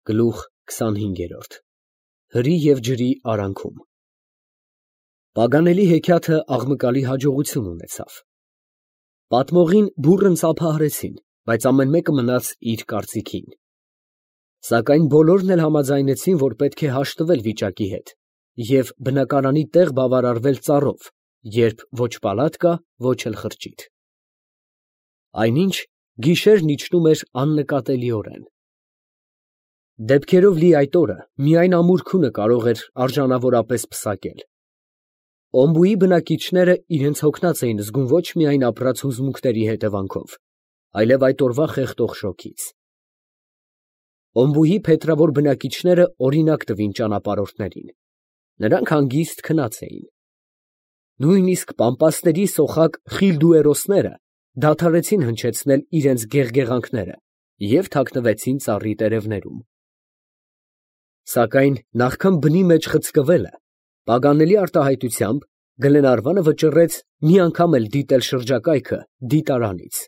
Գլուխ 25 Հրի և ջրի արանքում Պագանելի հեքիաթը աղմկալի հաջողություն ունեցավ։ Պատմողին բուռն ծափահարեցին, բայց ամեն մեկը մնաց իր կարծիքին։ Սակայն բոլորն էլ համաձայնեցին, որ պետք է հաշտվել վիճակի հետ և բնակարանի տեղ բավարարվել ծառով, երբ ոչ պալատ կա, ոչ էլ խրճիթ։ Այնինչ գիշերն իջնում էր աննկատելիորեն։ Դեպքերով լի այդ օրը միայն ամուր քունը կարող էր արժանավորապես պսակել։ Օմբուի բնակիչները իրենց հոգնած էին զգում ոչ միայն ապրած հուզմունքների հետևանքով, այլև այդ օրվա խեղդող շոգից։ Օմբուի փետրավոր բնակիչները օրինակ տվին ճանապարհորդներին. նրանք հանգիստ քնած էին։ Նույնիսկ պամպասների սոխակ խիլդուերոսները դադարեցին հնչեցնել իրենց գեղգեղանքները և թաքնվեցին ծառի տերևներում։ Սակայն նախքան բնի մեջ խցկվելը, Պագանելի արտահայտությամբ Գլենարվանը վճռեց մի անգամ էլ դիտել շրջակայքը դիտարանից։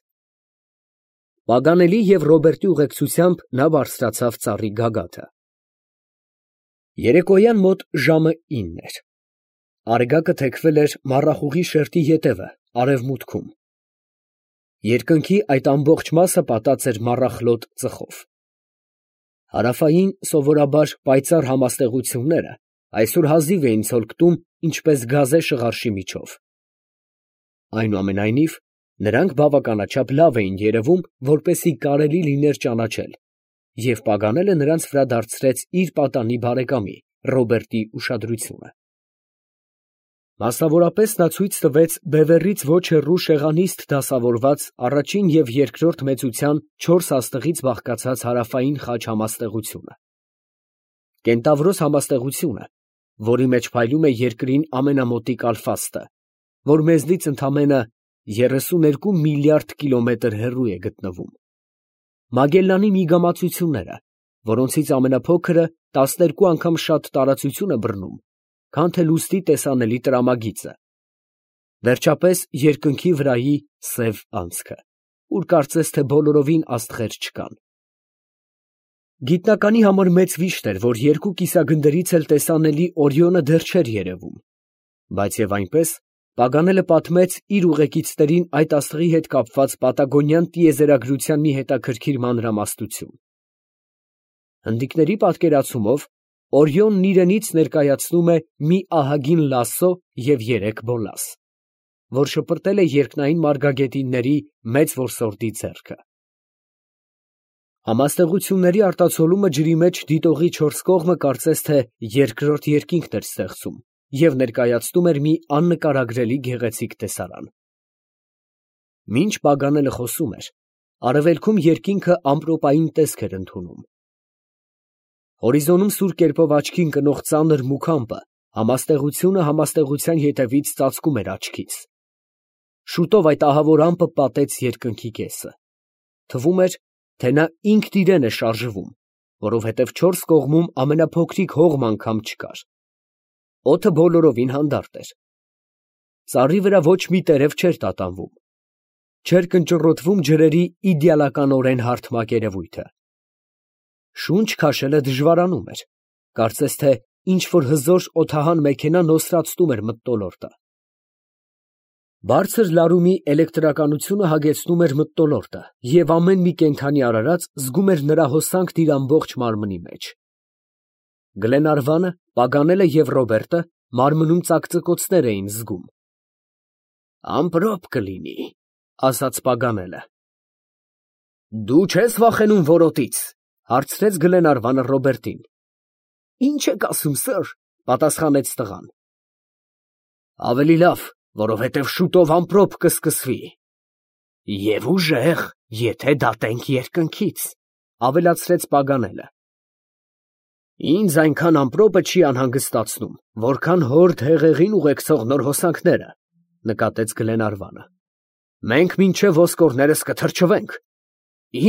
Պագանելի և Ռոբերտի ուղեկցությամբ նա բարձրացավ ծառի գագաթը։ Երեկոյան մոտ ժամը 9 էր։ Արեգակը թեքվել էր մառախուղի շերտի ետևը, արևմուտքում։ Երկնքի այդ ամբողջ մասը պատած էր մառախլոտ ծխով։ Հարավային սովորաբար պայծառ համաստեղությունները այսօր հազիվ էին ցոլքտում, ինչպես գազե շղարշի միջով։ Այնուամենայնիվ, նրանք բավականաչափ լավ էին երևում, որպեսզի կարելի լիներ ճանաչել, և Պագանելը նրանց վրա դարձրեց իր պատանի բարեկամի Ռոբերտի ուշադրությունը։ Մասնավորապես նա ցույց տվեց բևեռից ոչ հեռու շեղանիստ դասավորված առաջին և երկրորդ մեծության 4 աստղից բաղկացած հարավային խաչ համաստեղությունը։ Կենտավրոս համաստեղությունը, որի մեջ փայլում է երկրին ամենամոտիկ ալֆաստը, որ մեզնից ընդամենը 32 միլիարդ կիլոմետր հեռու է գտնվում։ Մագելլանի միգամածությունները, որոնցից ամենափոքրը 12 անգամ շատ տարածություն է բռնում, քան թե լուսնի տեսանելի տրամագիծը։ Վերջապես երկնքի վրայի սև անցքը, ուր կարծես թե բոլորովին աստղեր չկան։ Գիտնականի համար մեծ վիշտ էր, որ երկու կիսագնդերից էլ տեսանելի Օրիոնը դեռ չէր երևում, բայց և այնպես Պագանելը պատմեց իր ուղեկիցներին այդ աստղի հետ կապված պատագոնյան տիեզերագրության մի հետաքրքիր մանրամասնություն։ Հնդիկների պատկերացումով Օրիոնն իրենից ներկայացնում է մի ահագին լասո և 3 բոլաս, որ շպրտել է երկնային մարգագետինների մեծ որսորդի ձեռքը։ Համաստեղությունների արտացոլումը ջրի մեջ դիտողի 4 կողմը կարծես թե երկրորդ երկինքն էր ստեղծում և ներկայացնում էր մի աննկարագրելի գեղեցիկ տեսարան։ Մինչ Պագանելը խոսում էր, արևելքում երկինքը ամպրոպային տեսք էր ընդունում։ Հորիզոնում սուր կերպով աչքի ընկնող ծանր մուգ ամպը համաստեղությունը համաստեղության ետևից ծածկում էր աչքից։ Շուտով այդ ահավոր ամպը պատեց երկնքի կեսը։ Թվում էր, թե նա ինքն իրեն է շարժվում, որովհետև 4 կողմում ամենափոքրիկ հողմ անգամ չկար։ Օդը բոլորովին հանդարտ էր։ Ծառի վրա ոչ մի տերև չէր տատանվում։ Չէր կնճռոտվում ջրերի իդեալականորեն հարթ մակերևույթը։ Շունչ քաշելը դժվարանում էր, կարծես թե ինչ-որ հզոր օդահան մեքենա նոսրացնում էր մթնոլորտը։ Բարձր լարումի էլեկտրականությունը հագեցնում էր մթնոլորտը, և ամեն մի կենդանի արարած զգում էր նրա հոսանքն իր ամբողջ մարմնի մեջ։ Գլենարվանը, Պագանելը և Ռոբերտը մարմնում ծակծկոցներ էին զգում։ «Ամպրոպ կլինի», ֊ ասաց Պագանելը։ «Դու չե՞ս վախենում որոտից», ֊ հարցրեց Գլենարվանը Ռոբերտին։ «Ի՞նչ եք ասում, սըր», ֊ պատասխանեց տղան։ «Ավելի լավ, որովհետև շուտով ամպրոպ կսկսվի»։ «Եվ ուժեղ, եթե դատենք երկնքից», ֊ ավելացրեց Պագանելը։ «Ինձ այնքան ամպրոպը չի անհանգստացնում, որքան հորդ հեղեղին ուղեկցող նոր հոսանքները», ֊ նկատեց Գլենարվանը։ «Մենք մինչև ոսկորներս կթրջվենք։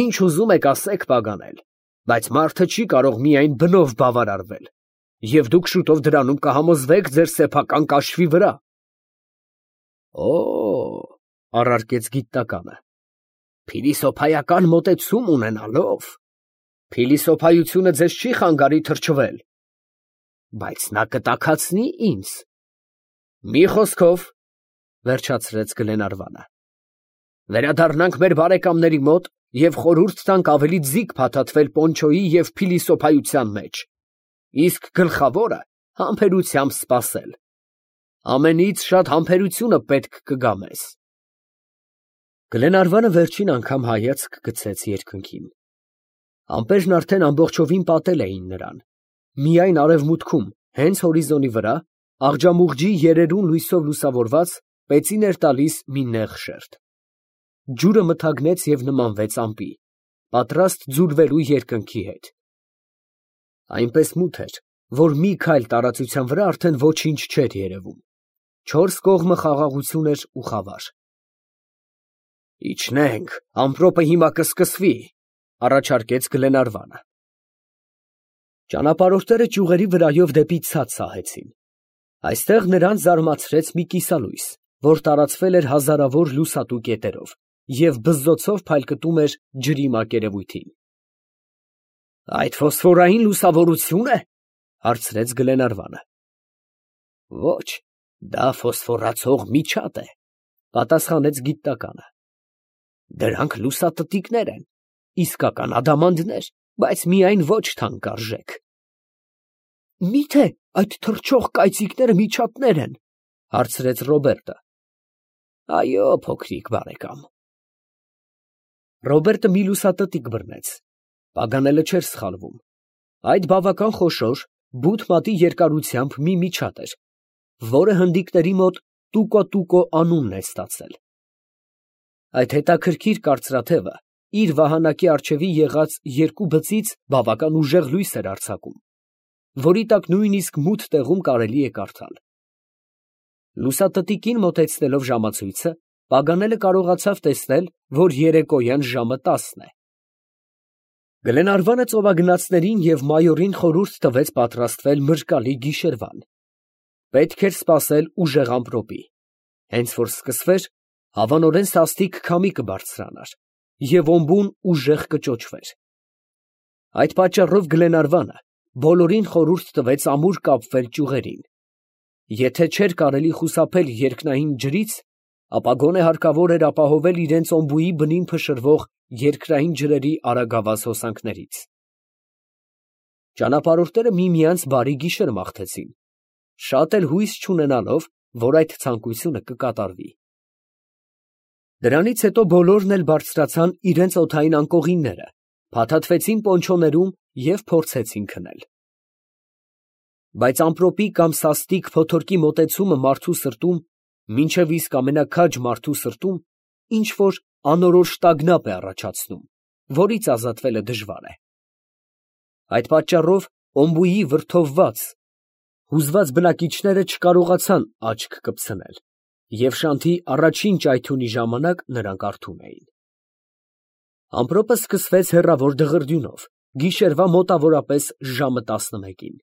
Ինչ ուզում եք ասեք, Պագանել, բայց մարդը չի կարող միայն բնով բավարարվել, և դուք շուտով դրանում կհամոզվեք ձեր սեփական կաշվի վրա»։ «Օ՜օ», ֊ առարկեց գիտնականը, «փիլիսոփայական մոտեցում ունենալով, Փիլիսոփայությունը ձեզ չի խանգարի թրջվել, բայց նա կտաքացնի ինձ։ Մի խոսքով, վերջացրեց Գլենարվանը, վերադառնանք մեր բարեկամների մոտ և խորհուրդ տանք ավելի ձիգ փաթաթվել Պոնչոյի և փիլիսոփայության մեջ, իսկ գլխավորը համբերությամբ սպասել։ Ամենից շատ համբերությունը պետք կգա մեզ։ Գլենարվանը վերջին անգամ հայացք գցեց երկնքին։ Ամպերն արդեն ամբողջովին պատել էին նրան։ Միայն արևմուտքում, հենց հորիզոնի վրա, աղջամուղջի երերուն լույսով լուսավորված, պեցին էր տալիս մի նեղ շերտ։ Ջուրը մթագնեց և նմանվեց ամպի, պատրաստ ձուլվելու երկնքի հետ։ Այնպես մութ էր, որ մի քայլ տարածության վրա արդեն ոչինչ չէր երևում։ Չորս կողմը խաղաղություն էր ու խավար։ Իջնենք, ամպրոպը հիմա կսկսվի, առաջարկեց Գլենարվանը։ Ճանապարհորդները ճյուղերի վրայով դեպի ցած սահեցին։ Այստեղ նրանց զարմացրեց մի կիսալույս, որ տարածվել էր հազարավոր լուսատու կետերով և բզզոցով փայլկտում էր ջրի մակերևույթին։ Այդ ֆոսֆորային լուսավորությո՞ւն է, հարցրեց Գլենարվանը։ Ոչ, դա ֆոսֆորացող միջատ է, պատասխանեց գիտնականը։ Դրանք լուսատտիկներ են, իսկական ադամանդներ, բայց միայն ոչ թանկարժեք։ Մի՞թե այդ թռչող կայծիկները միջատներ են, հարցրեց Ռոբերտը։ Այո, փոքրիկ բարեկամ։ Ռոբերտը մի լուսատտիկ բռնեց։ Պագանելը չէր սխալվում։ Այդ բավական խոշոր, բութ մատի երկարությամբ մի միջատ էր, որը հնդիկների մոտ տուկո անունն է ստացել։ Այդ հետաքրքիր կարծրաթևը իր վահանակի առջևի եղած երկու բծից բավական ուժեղ լույս էր արձակում, որի տակ նույնիսկ մութ տեղում կարելի է կարդալ։ Լուսատտիկին մոտեցնելով ժամացույցը, Պագանելը կարողացավ տեսնել, որ երեկոյան ժամը 10 է։ Գլենարվանը ծովագնացներին և մայորին խորհուրդ տվեց պատրաստվել մրրկալի գիշերվան։ Պետք էր սպասել ուժեղ ամպրոպի։ Հենց որ սկսվեր, հավանորեն սաստիկ քամի կբարձրանար, և օմբուն ուժեղ կճոճվեր։ Այդ պատճառով Գլենարվանը բոլորին խորհուրդ տվեց ամուր կապվել ճյուղերին։ Եթե չէր կարելի խուսափել երկնային ջրից, ապա գոնե հարկավոր էր ապահովել իրենց օմբուի բնին փշրվող երկրային ջրերի արագավազ հոսանքներից։ Ճանապարհորդները միմյանց բարի գիշեր մաղթեցին, շատ էլ հույս չունենալով, որ այդ ցանկությունը կկատարվի։ Դրանից հետո բոլորն էլ բարձրացան իրենց օդային անկողինները, փաթաթվեցին պոնչոներում և փորձեցին քնել։ Բայց ամպրոպի կամ սաստիկ փոթորկի մոտեցումը մարդու սրտում, մինչև իսկ ամենաքաջ մարդու սրտում, ինչ֊որ անորոշ տագնապ է առաջացնում, որից ազատվելը դժվար է։ Այդ պատճառով օմբուի վրդովված, հուզված բնակիչները չկարողացան աչք կպցնել, և շանթի առաջին ճայթյունի ժամանակ նրանք արթուն էին։ Ամպրոպը սկսվեց հեռավոր դղրդյունով, գիշերվա մոտավորապես ժամը 11-ին։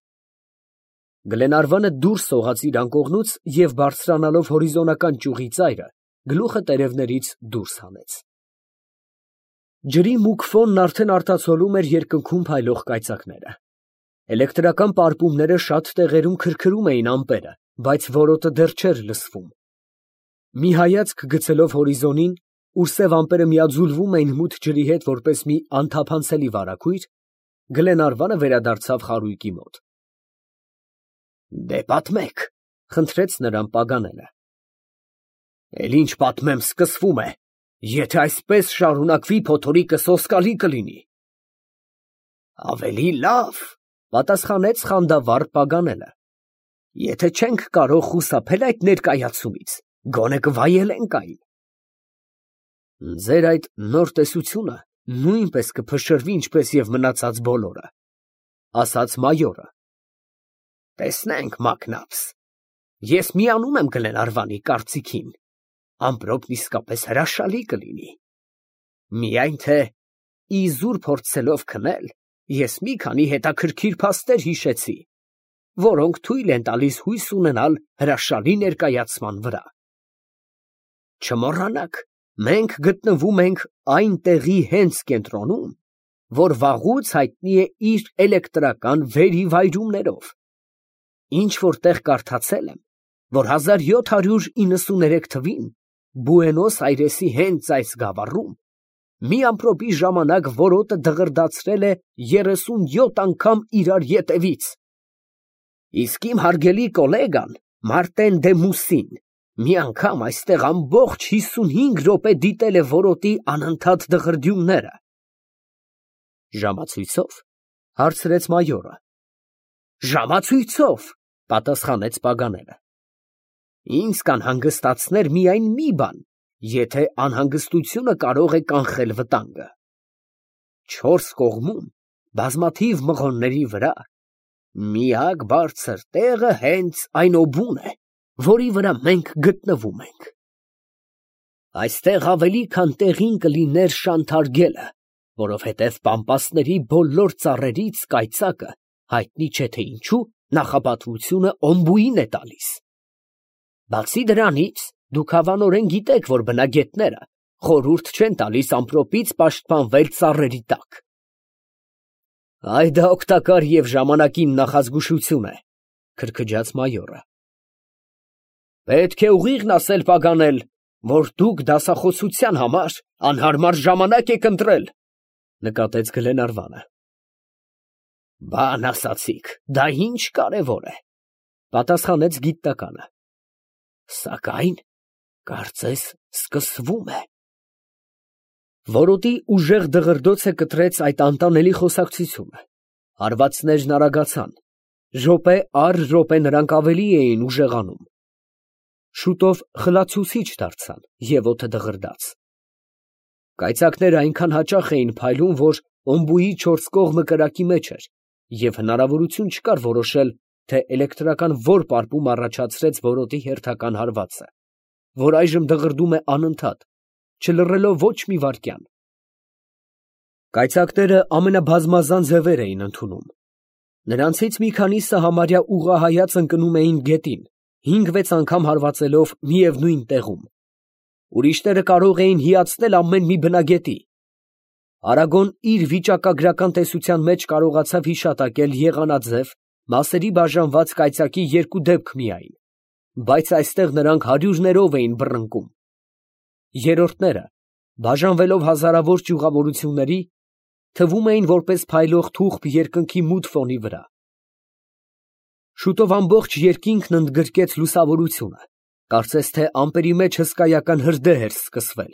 Գլենարվանը դուրս սողաց իր անկողնուց և բարձրանալով հորիզոնական ճյուղի ծայրը, գլուխը տերևներից դուրս հանեց։ Ջրի մուգ ֆոնն արդեն արտացոլում էր երկնքում փայլող կայծակները։ Էլեկտրական պարպումները շատ տեղերում քրքրում էին ամպերը, բայց որոտը դեռ չէր լսվում։ Մի հայացք գցելով հորիզոնին, ուր սև ամպերը միաձուլվում էին մութ ջրի հետ որպես մի անթափանցելի վարագույր, Գլենարվանը վերադարձավ խարույկի մոտ։ Դե պատմեք, խնդրեց նրան Պագանելը։ Էլ ինչ պատմեմ, սկսվում է, եթե այսպես շարունակվի, փոթորիկը սոսկալի կլինի։ Ավելի լավ, պատասխանեց խանդավառ Պագանելը, եթե չենք կարող խուսափել այդ ներկայացումից, գոնե կվայելենք այն։ Ձեր այդ նոր տեսությունը նույնպես կփշրվի, ինչպես և մնացած բոլորը, ասաց մայորը։ Տեսնենք, մակնաբս, ես միանում եմ Գլենարվանի կարծիքին, ամպրոպն իսկապես հրաշալի կլինի։ Միայն թե իզուր փորձելով քնել, ես մի քանի հետաքրքիր փաստեր հիշեցի, որոնք թույլ են տալիս հույս ունենալ հրաշալի ներկայացման վրա։ Չմոռանաք, մենք գտնվում ենք այն տեղի հենց կենտրոնում, որ վաղուց հայտնի է իր էլեկտրական վերիվայրումներով։ Ինչ որտեղ կարդացել եմ, որ 1793 թվին Բուենոս Այրեսի հենց այս գավառում մի ամպրոպի ժամանակ որոտը դղրդացրել է 37 անգամ իրար ետևից։ Իսկ իմ հարգելի կոլեգան Մարտեն դե Մուսին մի անգամ այստեղ ամբողջ 55 րոպե դիտել է որոտի անընդհատ դղրդյունները։ Ժամացույցո՞վ, հարցրեց մայորը։ Ժամացույցով, պատասխանեց Պագանելը։ Ինձ կանհանգստացներ միայն մի բան, եթե անհանգստությունը կարող է կանխել վտանգը։ 4 կողմում բազմաթիվ մղոնների վրա միակ բարձր տեղը հենց այն օբուն է, որի վրա մենք գտնվում ենք։ Այստեղ ավելի քան տեղին կլիներ շանթարգելը, որովհետև պամպասների բոլոր ծառերից կայծակը հայտնի չէ թե ինչու նախապատվությունը օմբուին է տալիս։ Բացի դրանից, դուք հավանորեն գիտեք, որ բնագետները խորհուրդ չեն տալիս ամպրոպից պաշտպանվել ծառերի տակ։ Այ դա օգտակար և ժամանակին նախազգուշություն է, քրքջաց մայորը։ Պետք է ուղիղն ասել Պագանել, որ դուք դասախոսության համար անհարմար ժամանակ եք ընտրել, նկատեց Գլենարվանը։ Բան ասացիք, դա ինչ կարևոր է, պատասխանեց գիտնականը։ Սակայն, կարծես, սկսվում է։ Որոտի ուժեղ դղրդոցը կտրեց այդ անտանելի խոսակցությունը։ Հարվածներն արագացան։ Րոպե առ րոպե նրանք ավելի էին ուժեղանում։ Շուտով խլացուցիչ դարձան և օդը դղրդաց։ Կայծակները այնքան հաճախ էին փայլում, որ օմբուի 4 կողմը կրակի մեջ էր, և հնարավորություն չկար որոշել, թե էլեկտրական որ պարպում առաջացրեց որոտի հերթական հարվածը, որ այժմ դղրդում է անընդհատ, չլռելով ոչ մի վայրկյան։ Կայծակները ամենաբազմազան ձևեր էին ընդունում։ Նրանցից մի քանիսը համարյա ուղղահայաց ընկնում էին գետին, 5-6 անգամ հարվածելով միևնույն տեղում։ Ուրիշները կարող էին հիացնել ամեն մի բնագետի։ Արագոն իր վիճակագրական տեսության մեջ կարողացավ հիշատակել եղանաձև, մասերի բաժանված կայծակի 2 դեպք միայն, բայց այստեղ նրանք հարյուրներով էին բռնկում։ Երրորդները, բաժանվելով հազարավոր ճյուղավորությունների, թվում էին որպես փայլող թուղթ երկնքի մութ ֆոնի վրա։ Շուտով ամբողջ երկինքն ընդգրկեց լուսավորությունը, կարծես թե ամպերի մեջ հսկայական հրդեհ էր սկսվել։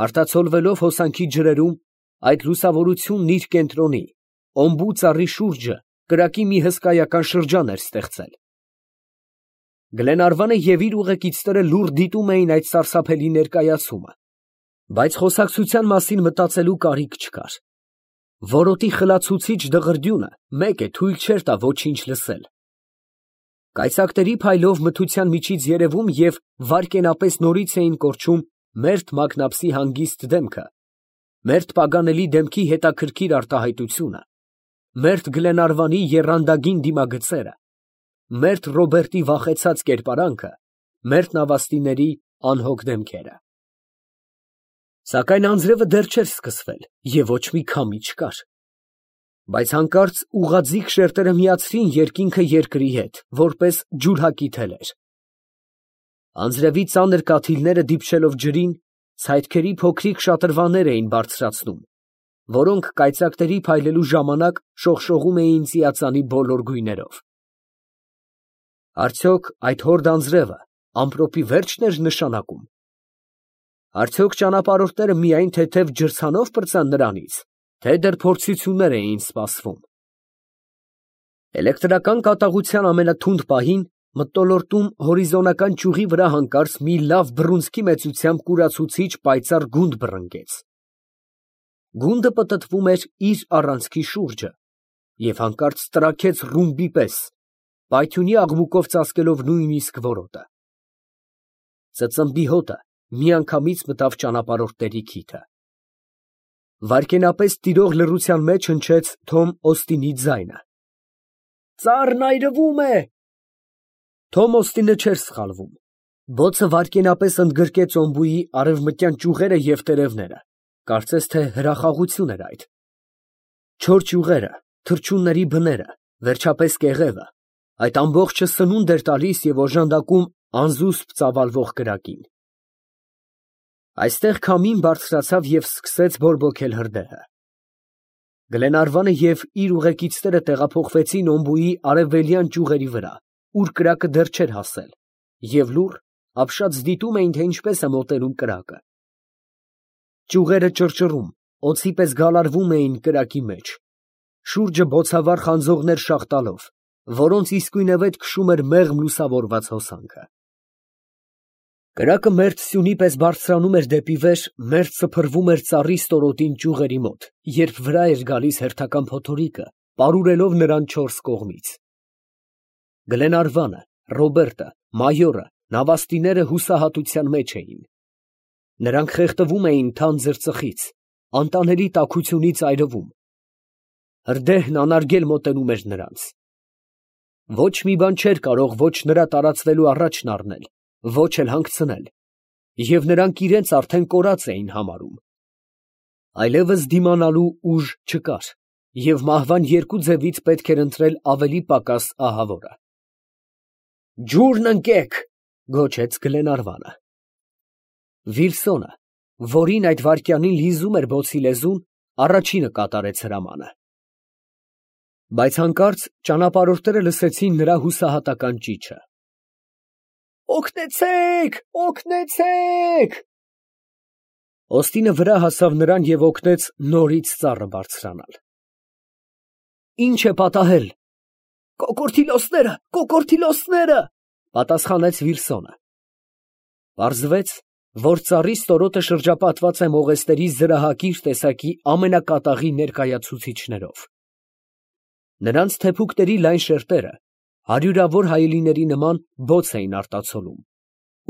Արտացոլվելով հոսանքի ջրերում, այդ լուսավորությունն իր կենտրոնի, օմբու ծառի շուրջը կրակի մի հսկայական շրջան էր ստեղծել։ Գլենարվանը և իր ուղեկիցները լուռ դիտում էին այդ սարսափելի ներկայացումը, բայց խոսակցության մասին մտածելու կարիք չկար։ Որոտի խլացուցիչ դղրդյունը մեկ է թույլ չէր տա ոչինչ լսել։ Կայծակների փայլով մթության միջից երևում և վայրկենապես նորից էին կորչում մերթ Մագնապսի հանգիստ դեմքը, մերթ Պագանելի դեմքի հետաքրքիր արտահայտությունը, մերթ Գլենարվանի եռանդագին դիմագծերը, մերթ Ռոբերտի վախեցած կերպարանքը, մերթ Նավաստիների անհոգ դեմքերը։ Սակայն անձրևը դեռ չէր սկսվել և ոչ մի քամի չկար։ Բայց հանկարծ ուղղաձիգ շերտերը միացրին երկինքը երկրի հետ, որպես ջուրհակի թելեր։ Անձրևի ծանր կաթիլները դիպչելով ջրին, ցայտքերի փոքրիկ շատրվաններ էին բարձրացնում, որոնք կայծակների փայլելու ժամանակ շողշողում էին ծիածանի բոլոր գույներով։ Արդյոք այդ հորդ անձրևը ամպրոպի վերջն էր նշանակում։ Արդյոք ճանապարհորդները միայն թեթև ջրցանով պրծան նրանից, թե դեռ փորձություններ էին սպասվում։ Էլեկտրական կատաղության ամենաթունդ պահին մթնոլորտում հորիզոնական ճյուղի վրա հանկարծ մի լավ բռունցքի մեծությամբ կուրացուցիչ պայծառ գունդ բռնկեց։ Գունդը պտտվում էր իր առանցքի շուրջը և հանկարծ տրաքեց ռումբի պես, պայթյունի աղմուկով ծածկելով նույնիսկ որոտը։ Ծծմբի հոտը միանգամից մտավ ճանապարհորդների քիթը։ Վայրկենապես տիրող լռության մեջ հնչեց Թոմ Օստինի ձայնը. «Ծառն այրվում է»։ Թոմ Օստինը չէր սխալվում։ Բոցը վայրկենապես ընդգրկեց օմբուի արևմտյան ճյուղերը և տերևները, կարծես թե հրախաղություն էր այդ, Չոր ճյուղերը, թռչունների բները, վերջապես կեղևը, այդ ամբողջը սնունդ էր տալիս և օժանդակում անզուսպ ծավալվող կրակին։ Այստեղ քամին բարձրացավ և սկսեց բորբոքել հրդեհը։ Գլենարվանը և իր ուղեկիցները տեղափոխվեցին Օմբուի արևելյան ճյուղերի վրա, ուր կրակը դեռ չէր հասել, և լուռ, ապշած դիտում էին, թե ինչպես է մոտենում կրակը։ Ճյուղերը ճռճռում, օձի պես գալարվում էին կրակի մեջ, շուրջը բոցավառ խանձողներ շաղ տալով, որոնց իսկույնևեթ քշում էր մեղմ լուսավորված հոսանքը։ Կրակը մերթ սյունի պես բարձրանում էր դեպի վեր, մերթ սփռվում էր ծառի ստորոտին ճյուղերի մոտ, երբ վրա էր գալիս հերթական փոթորիկը, պարուրելով նրան չորս կողմից։ Գլենարվանը, Ռոբերտը, մայորը, նավաստիները հուսահատության մեջ էին։ Նրանք խեղդվում էին թանձր ծխից, անտանելի տաքությունից այրվում։ Հրդեհն անարգել մոտենում էր նրանց։ Ոչ մի բան չէր կարող ոչ նրա տարածվելու առաջն առնել, ոչ էլ հանգցնել, և նրանք իրենց արդեն կորած էին համարում։ Այլևս դիմանալու ուժ չկար, և մահվան երկու ձևից պետք էր ընտրել ավելի պակաս ահավորը։ «Ջուրն ընկեք», գոչեց Գլենարվանը։ Վիլսոնը, որին այդ վայրկյանին լիզում էր բոցի լեզուն, առաջինը կատարեց հրամանը։ Բայց հանկարծ ճանապարհորդները լսեցին նրա հուսահատական ճիչը. «Օգնեցե՛ք, օգնեցե՛ք»։ Օստինը վրա հասավ նրան և օգնեց նորից ծառը բարձրանալ։ «Ի՞նչ է պատահել»։ «Կոկորդիլոսները, կոկորդիլոսները», պատասխանեց Վիլսոնը։ Պարզվեց, որ ծառի ստորոտը շրջապատված է մողեստերի զրահակիր տեսակի ամենակատաղի ներկայացուցիչներով։ Նրանց թեփուկների լայն շերտերը հարյուրավոր հայելիների նման բոց էին արտացոլում,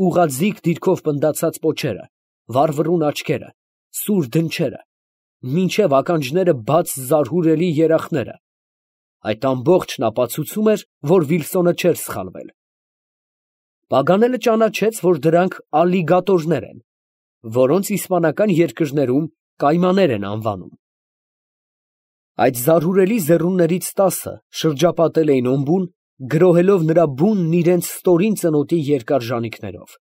ուղղաձիգ դիրքով պնդացած պոչերը, վառվռուն աչքերը, սուր դնչերը, մինչև ականջները բաց զարհուրելի երախները, այդ ամբողջն ապացուցում էր, որ Վիլսոնը չէր սխալվել։ Պագանելը ճանաչեց, որ դրանք ալիգատորներ են, որոնց իսպանական երկրներում կայմաներ են անվանում։ Այդ զարհուրելի ձեռուններից 10-ը շրջապատել էին Օմբուն, գրոհելով նրա բունն իրենց ստորին ծնոտի երկար ժանիքներով։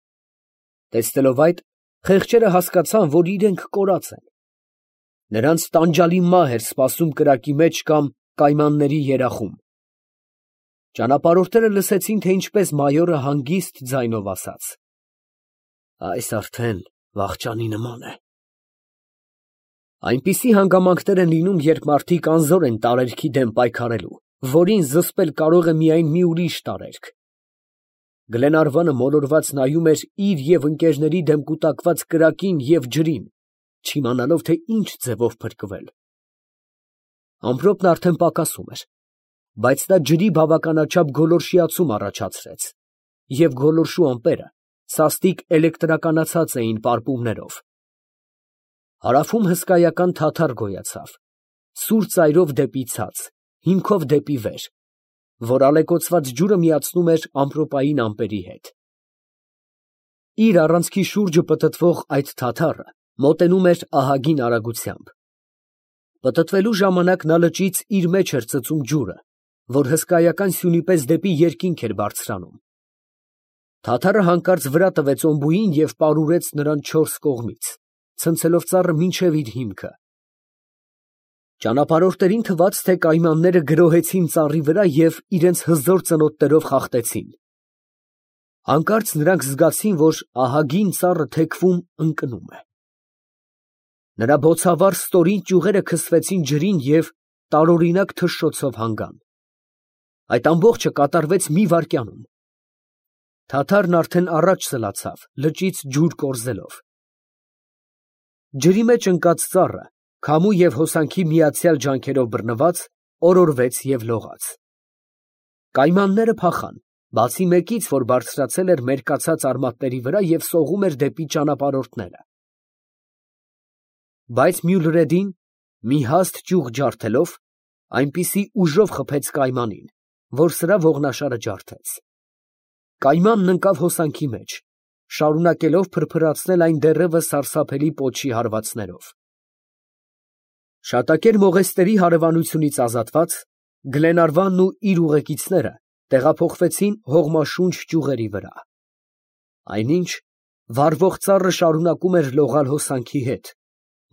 Տեսնելով այդ, խեղճերը հասկացան, որ իրենք կորած են։ Նրանց տանջալի մահ էր սպասում կրակի մեջ կամ կայմանների երախում։ Ճանապարհորդները լսեցին, թե ինչպես մայորը հանգիստ ձայնով ասաց. «Այս արդեն վախճանի նման է»։ Այնպիսի հանգամանքներ են լինում, երբ մարդիկ անզոր են տարերքի դեմ պայքարելու, որին զսպել կարող է միայն մի ուրիշ տարերք։ Գլենարվանը մոլորված նայում էր իր և ընկերների դեմ կուտակված կրակին և ջրին, չիմանալով, թե ինչ ձևով փրկվել։ Ամպրոպն արդեն պակասում էր, բայց նա ջրի բավականաչափ գոլորշիացում առաջացրեց, և գոլորշու ամպերը սաստիկ էլեկտրականացած էին պարպումներով։ Հարավում հսկայական թաթար գոյացավ, սուր ծայրով դեպի ցած, հիմքով դեպի վեր, որ ալեկոծված ջուրը միացնում էր ամպրոպային ամպերի հետ։ Իր առանցքի շուրջը պտտվող այդ թաթարը մոտենում էր ահագին արագությամբ։ Պտտվելու ժամանակ նա լճից իր մեջ էր ծծում ջուրը, որ հսկայական սյունի պես դեպի երկինք էր բարձրանում։ Թաթարը հանկարծ վրա տվեց Օմբուին և պարուրեց նրան չորս կողմից, ցնցելով ծառը մինչև իր հիմքը։ Ճանապարհորդներին թվաց, թե կայմանները գրոհեցին ծառի վրա և իրենց հզոր ծնոտներով խախտեցին։ Հանկարծ նրանք զգացին, որ ահագին ծառը թեքվում ընկնում է։ Նրա բոցավառ ստորին ճյուղերը քսվեցին ջրին և տարօրինակ թշշոցով հանգան։ Այդ ամբողջը կատարվեց մի վայրկյանում։ Թաթարն արդեն առաջ սլացավ, լճից ջուր կորզելով։ Ջրի մեջ ընկած ծառը, քամու և հոսանքի միացյալ ջանքերով բռնված, օրորվեց և լողաց։ Կայմանները փախան, բացի մեկից, որ բարձրացել էր մերկացած արմատների վրա և սողում էր դեպի ճանապարհորդները։ Բայց Մյուլրեդին, մի հաստ ճյուղ ջարդելով, այնպիսի ուժով խփեց կայմանին, որ սրա ողնաշարը ջարդեց։ Կայմանն ընկավ հոսանքի մեջ, շարունակելով փրփրացնել այն դեռևս սարսափելի պոչի հարվածներով։ Շատակեր մողեստերի հարևանությունից ազատված, Գլենարվանն ու իր ուղեկիցները տեղափոխվեցին հողմաշունչ ճյուղերի վրա։ Այնինչ վառվող ծառը շարունակում էր լողալ հոսանքի հետ,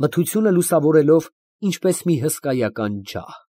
մթությունը լուսավորելով ինչպես մի հսկայական ջահ։